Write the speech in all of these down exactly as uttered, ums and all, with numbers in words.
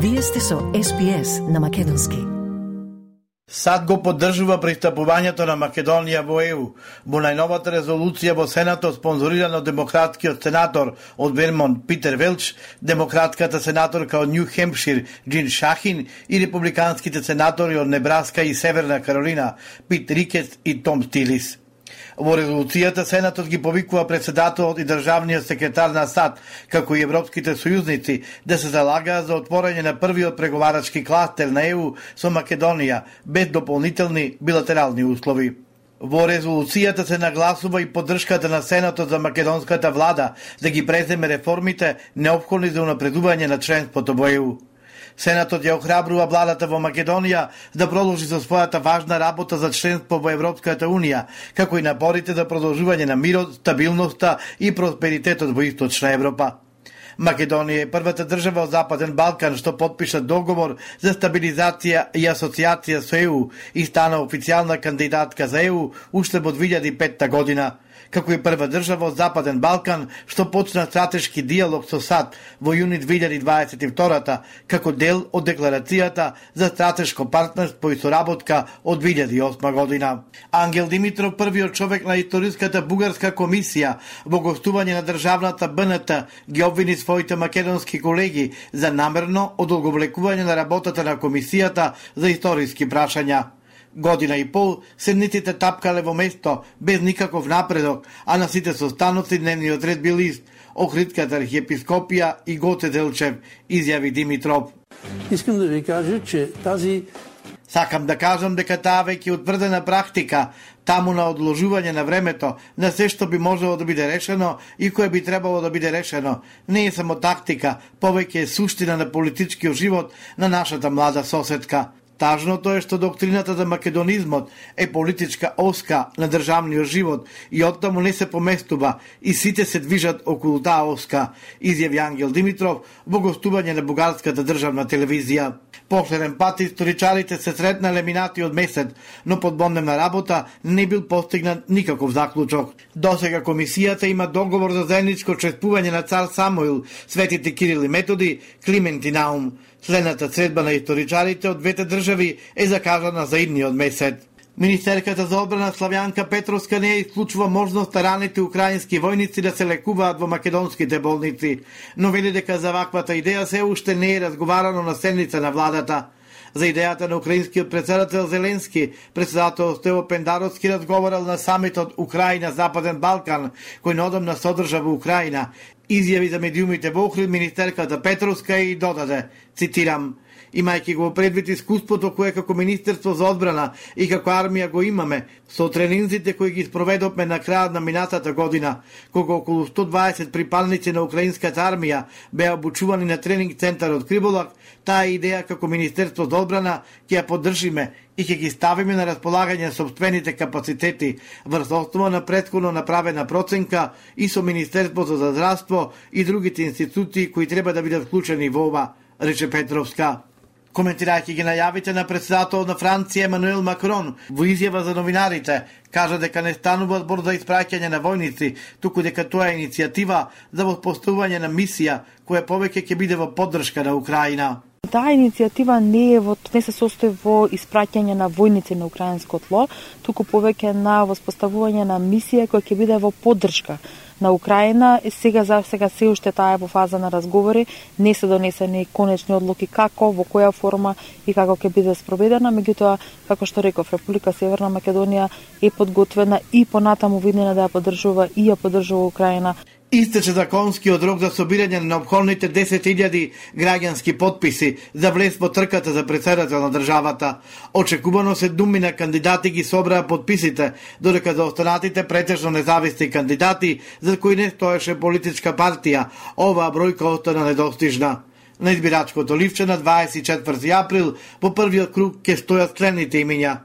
Вие сте со Ес Би Ес на македонски. САД го поддржува пристапувањето на Македонија во Е У. Во најновата резолуција во Сенатот, спонзорирана од демократкиот сенатор од Вермонт Питер Велч, демократката сенаторка од Њу Хемпшир Џин Шахин и републиканските сенатори од Небраска и Северна Каролина Пит Рикет и Том Стилис. Во резолуцијата Сенатот ги повикува председателот и државниот секретар на САД, како и европските сојузници, да се залагаат за отворање на првиот преговарачки кластер на Е У со Македонија, без дополнителни билатерални услови. Во резолуцијата се нагласува и поддршката на Сенатот за македонската влада да ги преземе реформите неопходни за унапредување на членството во Е У. Сенатот ја охрабрува владата во Македонија да продолжи со својата важна работа за членство во Европската Унија, како и напорите за продолжување на мирот, стабилноста и просперитетот во Источна Европа. Македонија е првата држава од Западен Балкан што подпиша договор за стабилизација и асоциација со Е У и стана официјална кандидатка за Е У уште во две илјади и петта година, како и прва држава од Западен Балкан што почна стратешки диалог со САД во јуни две илјади дваесет и втора како дел од декларацијата за стратешко партнерство и соработка од две илјади и осма година. Ангел Димитров, првиот човек на историската бугарска комисија во гостување на државната Б Н Т, ги обвини своите македонски колеги за намерно одолговлекување на работата на комисијата за историски прашања. Година и пол седниците тапкале во место без никаков напредок, а на сите состаноци дневниот ред бил ист: Охридската архиепископија и Гоце Делчев, изјави Димитров. Искам да ви кажа, че тази Сакам да кажам дека таа веќе утврдена практика, таму на одложување на времето, на се што би можело да биде решено и кое би требало да биде решено, не е само тактика, повеќе е суштина на политичкиот живот на нашата млада соседка. Тажното е што доктрината за македонизмот е политичка оска на државниот живот и оттаму не се поместува и сите се движат околу таа оска, изјави Ангел Димитров во гостување на бугарската државна телевизија. Последен пат историчарите се сретнале минатиот месец, но под бодневна работа не бил постигнат никаков заклучок. Досега комисијата има договор за заедничко чествување на цар Самуил, светите Кирил и Методи, Климент и Наум. Следната средба на историчарите од двете држави е закажана за идниот месец. Министерката за одбрана Славјанка Петровска не исклучува можност раните украински војници да се лекуваат во македонските болници, но вели дека за ваквата идеја се уште не е разговарано на седница на владата. За идејата на украинскиот председател Зеленски, председател Стево Пендаровски разговарал на самитот Украина-Западен Балкан, кој неодамна содржа во Украина, изјави за медиумите во Охрид министерката Петровска и додаде, цитирам: имајќи го предвид искуството кое како Министерство за одбрана и како армија го имаме, со тренинзите кои ги спроведовме на крајот на минатата година, кога околу сто дваесет припадници на украинската армија беа обучувани на тренинг центарот Криболак, таа идеја како Министерство за одбрана ќе ја поддржиме и ќе ги ставиме на располагање собствените капацитети врз основа на претходно направена проценка и со Министерството за здравство и другите институции кои треба да бидат вклучени во ова, рече Петровска. Коментирајќи ги најавите на председателот на Франција Емануел Макрон во изјава за новинарите, кажа дека не станува збор за испраќање на војници, туку дека тоа е иницијатива за воспоставување на мисија која повеќе ќе биде во поддршка на Украина. Таа иницијатива не е во не се состои во испраќање на војници на украинско тло, туку повеќе на воспоставување на мисија која ќе биде во поддршка на Украина. Сега за сега се уште таа е во фаза на разговори, не се донесени конечни одлуки како, во која форма и како ќе биде спроведена, меѓутоа, како што реков, Република Северна Македонија е подготвена и понатаму виднена да ја поддржува и ја поддржува Украина. Истече законскиот рок за собирање на неопходните десет илјади граѓански потписи за влез во трката за председател на државата. Очекувано се думина кандидати ги собраа потписите, додека за останатите претежно независни кандидати, за кои не стоеше политичка партија, оваа бројка остана недостижна. На избирачкото ливче на дваесет и четврти април по првиот круг ќе стојат следните имиња: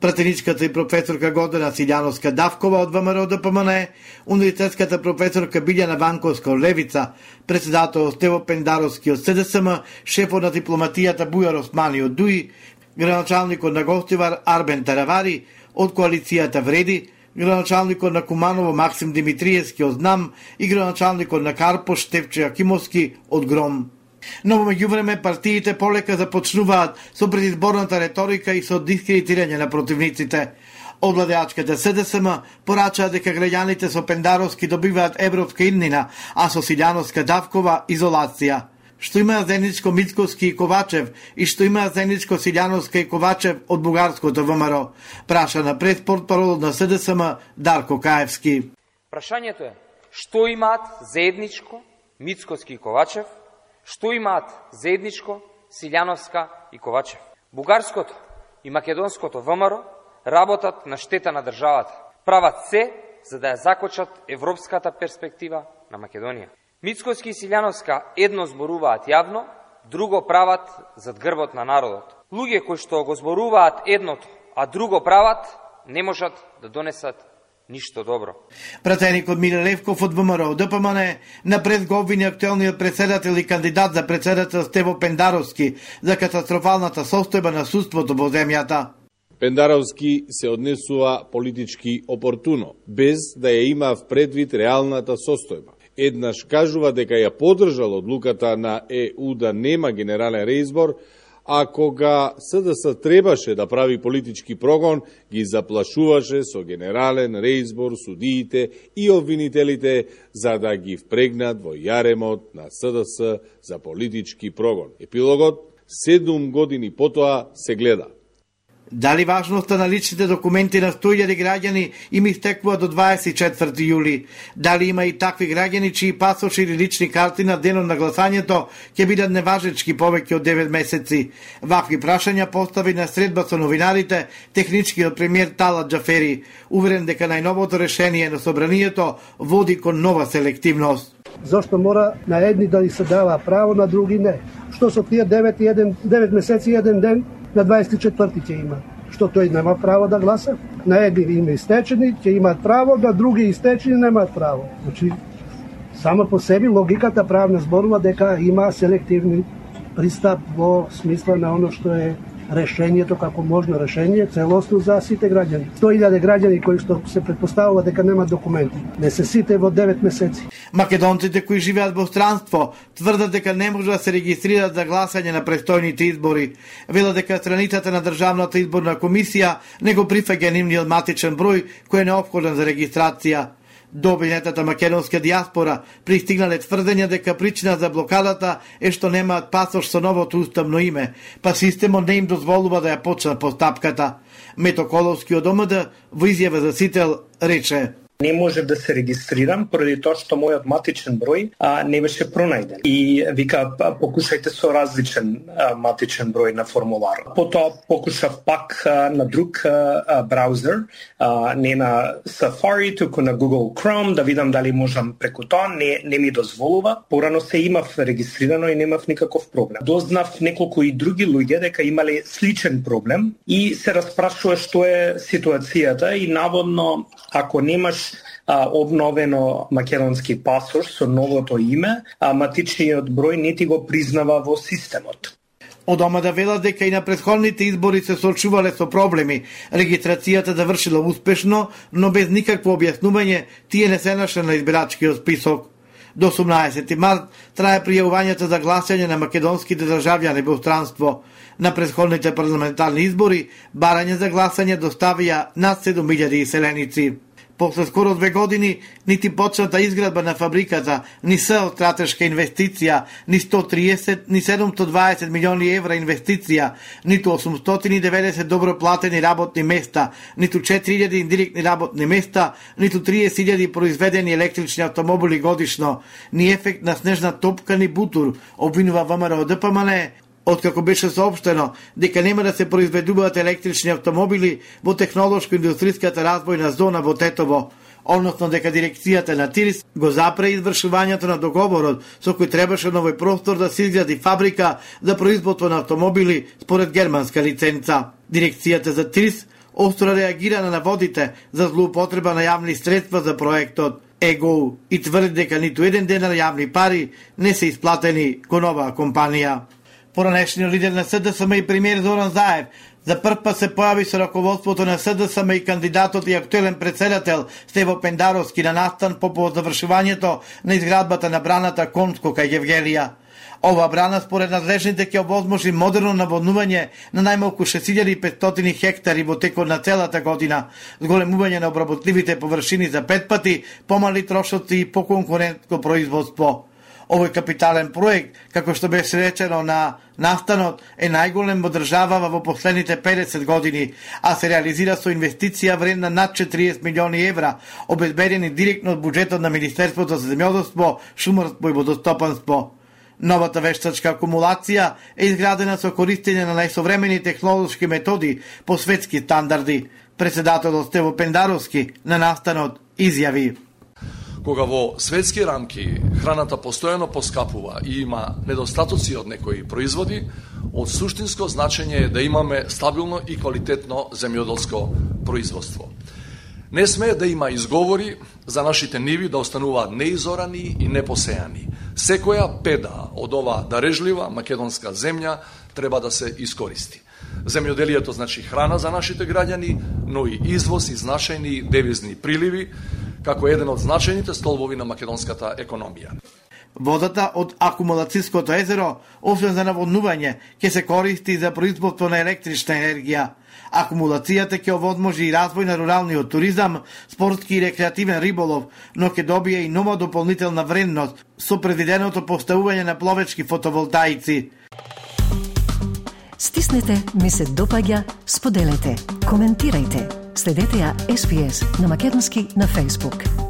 пратеничката и професорка Гордана Силјановска Давкова од ВМРО Д П М Н, универзитетската професорка Билјана Ванковска од Левица, председател Стево Пендаровски од С Д С М, шефот на дипломатијата Бујар Османи од Д У И, граначалникот на Гостивар Арбен Таравари од коалицијата Вреди, граначалникот на Куманово Максим Димитриевски од Знам и граначалникот на Карпош Стефче Акимовски од Гром. Но во меѓувреме партиите полека започнуваат со предизборната реторика и со дискредитирање на противниците. Од владеачката С Д С М порачаа дека граѓаните со Пендаровски добиваат европска иднина, а со Силјановска Давкова изолација. Што има заедничко Мицковски и Ковачев и што има заедничко Силјановска и Ковачев од бугарското В М Р, праша на преспортпарол на С Д С М Дарко Каевски. Прашањето е што имаат заедничко Мицковски и Ковачев, што имаат заедничко Силјановска и Ковачев. Бугарското и македонското В М Р работат на штета на државата. Прават се за да ја закочат европската перспектива на Македонија. Мицковски и Силјановска едно зборуваат јавно, друго прават зад грбот на народот. Луѓе кои што го зборуваат едното, а друго прават, не можат да донесат ништо добро. Пратеникот Миле Левков од В М Р од Д П М Н на прес го обвини актуелниот председател и кандидат за председател Стево Пендаровски за катастрофалната состојба на судството во земјата. Пендаровски се однесува политички опортуно, без да ја има в предвид реалната состојба. Еднаш кажува дека ја поддржал одлуката на Е У да нема генерален реизбор, а кога С Д С требаше да прави политички прогон, ги заплашуваше со генерален реизбор судиите и обвинителите за да ги впрегнат во јаремот на С Д С за политички прогон. Епилогот седум години потоа се гледа. Дали важноста на личните документи на сто илјади граѓани им истекува до дваесет и четврти јули? Дали има и такви граѓани чии пасоши или лични карти на денот на гласањето ќе бидат неважечки повеќе од девет месеци? Вакви прашања постави на средба со новинарите техничкиот премиер Талат Џафери, уверен дека најновото решение на собранието води кон нова селективност. Зошто мора на едни да се дава право, на други не? Што со тие девет, еден, девет месеци и еден ден на дваесет и четврти ќе има? Што тој нема право да гласа? На едни има истечени, ќе имаат право, на други истечени немаат право. Значи, само по себе логиката правна зборува дека има селективни пристап во смисла на оно што е решението како можно решение целосно за сите граѓани. сто илјади граѓани кои што се претпоставува дека немаат документи. Не се сите во девет месеци. Македонците кои живеат во странство тврдат дека не може да се регистрираат за гласање на престојните избори. Велат дека страницата на Државната изборна комисија не го прифаќа нивниот матичен број кој е неопходен за регистрација. До обвинетата македонска диаспора пристигнале тврдења дека причина за блокадата е што немаат пасош со новото уставно име, па системот не им дозволува да ја почнат постапката. Мето Коловски од О М Д во изјава за Сител рече: Не може да се регистрирам поради тоа што мојот матичен број а, не беше пронајден. И вика, покушајте со различен а, матичен број на формулар. Потоа покушав пак а, на друг а, браузер, а, не на Safari, туку на Google Chrome, да видам дали можам преку тоа, не, не ми дозволува. Порано се имав регистрирано и немав никаков проблем. Дознав неколку и други луѓе дека имале сличен проблем и се распрашува што е ситуацијата и наводно ако немаш а, обновено македонски пасош со новото име, а матичниот број не ти го признава во системот. Од О М Д велат дека и на претходните избори се соочувале со проблеми. Регистрацијата завршила успешно, но без никакво објаснување тие не се нашле на избирачкиот список. До осумнаесети март трае пријавувањето за гласање на македонските државјани во странство. На претходните парламентарни избори барање за гласање доставија над седум илјади иселеници. После скоро две години, нити почната изградба на фабриката, ни С од стратешка инвестиција, ни сто триесет, ни седумстотини и дваесет милиони евра инвестиција, ниту осумстотини и деветдесет добро платени работни места, ниту четири илјади индиректни работни места, ниту триесет илјади произведени електрични автомобили годишно, ни ефект на снежна топка, ни бутур, обвинува В М Р од Д П М Н, откако беше соопштено дека нема да се произведуваат електрични автомобили во технолошко-индустријската развојна зона во Тетово, односно дека дирекцијата на ТИРИС го запре извршувањето на договорот со кој требаше на овој простор да се изгради фабрика за производство на автомобили според германска лиценца. Дирекцијата за ТИРИС остро реагира на наводите за злоупотреба на јавни средства за проектот ЕГО и тврди дека ниту еден денар јавни пари не се исплатени кон оваа компанија. Поранешниот лидер на С Д С М и премиер Зоран Заев за прв пат се појави со раководството на С Д С М и кандидатот и актуелен председател Стево Пендаровски на настан по завршувањето на изградбата на браната Конско кај Евгелија. Ова брана според надлежните ќе овозможи модерно наводнување на најмалку шест илјади и петстотини хектари во текот на целата година, зголемување на обработливите површини за пет пати, помали трошоци и поконкурентно производство. Овој капитален проект, како што беше речено на настанот, е најголем во државава во последните педесет години, а се реализира со инвестиција вредна над четириесет милиони евра, обезбедени директно од буџетот на Министерството за земјоделство, шумарство и водостопанство. Новата вештачка акумулација е изградена со користење на најсовремени технолошки методи по светски стандарди. Председателот Стево Пендаровски на настанот изјави: Кога во светски рамки храната постојано поскапува и има недостатоци од некои производи, од суштинско значење е да имаме стабилно и квалитетно земјоделско производство. Не смее да има изговори за нашите ниви да остануваат неизорани и непосејани. Секоја педа од ова дарежлива македонска земја треба да се искористи. Земјоделието значи храна за нашите граѓани, но и извоз и значајни девизни приливи, како еден од значајните столбови на македонската економија. Водата од акумулацијското езеро, освен за наводнување, ќе се користи за производство на електрична енергија. Акумулацијата ќе овозможи и развој на руралниот туризам, спортски и рекреативен риболов, но ќе добие и нова дополнителна вредност со предвиденото поставување на пловечки фотоволтаици. Стиснете, ми се допаѓа, споделете, коментирајте. Следете ја Ес Би Ес на македонски на Facebook.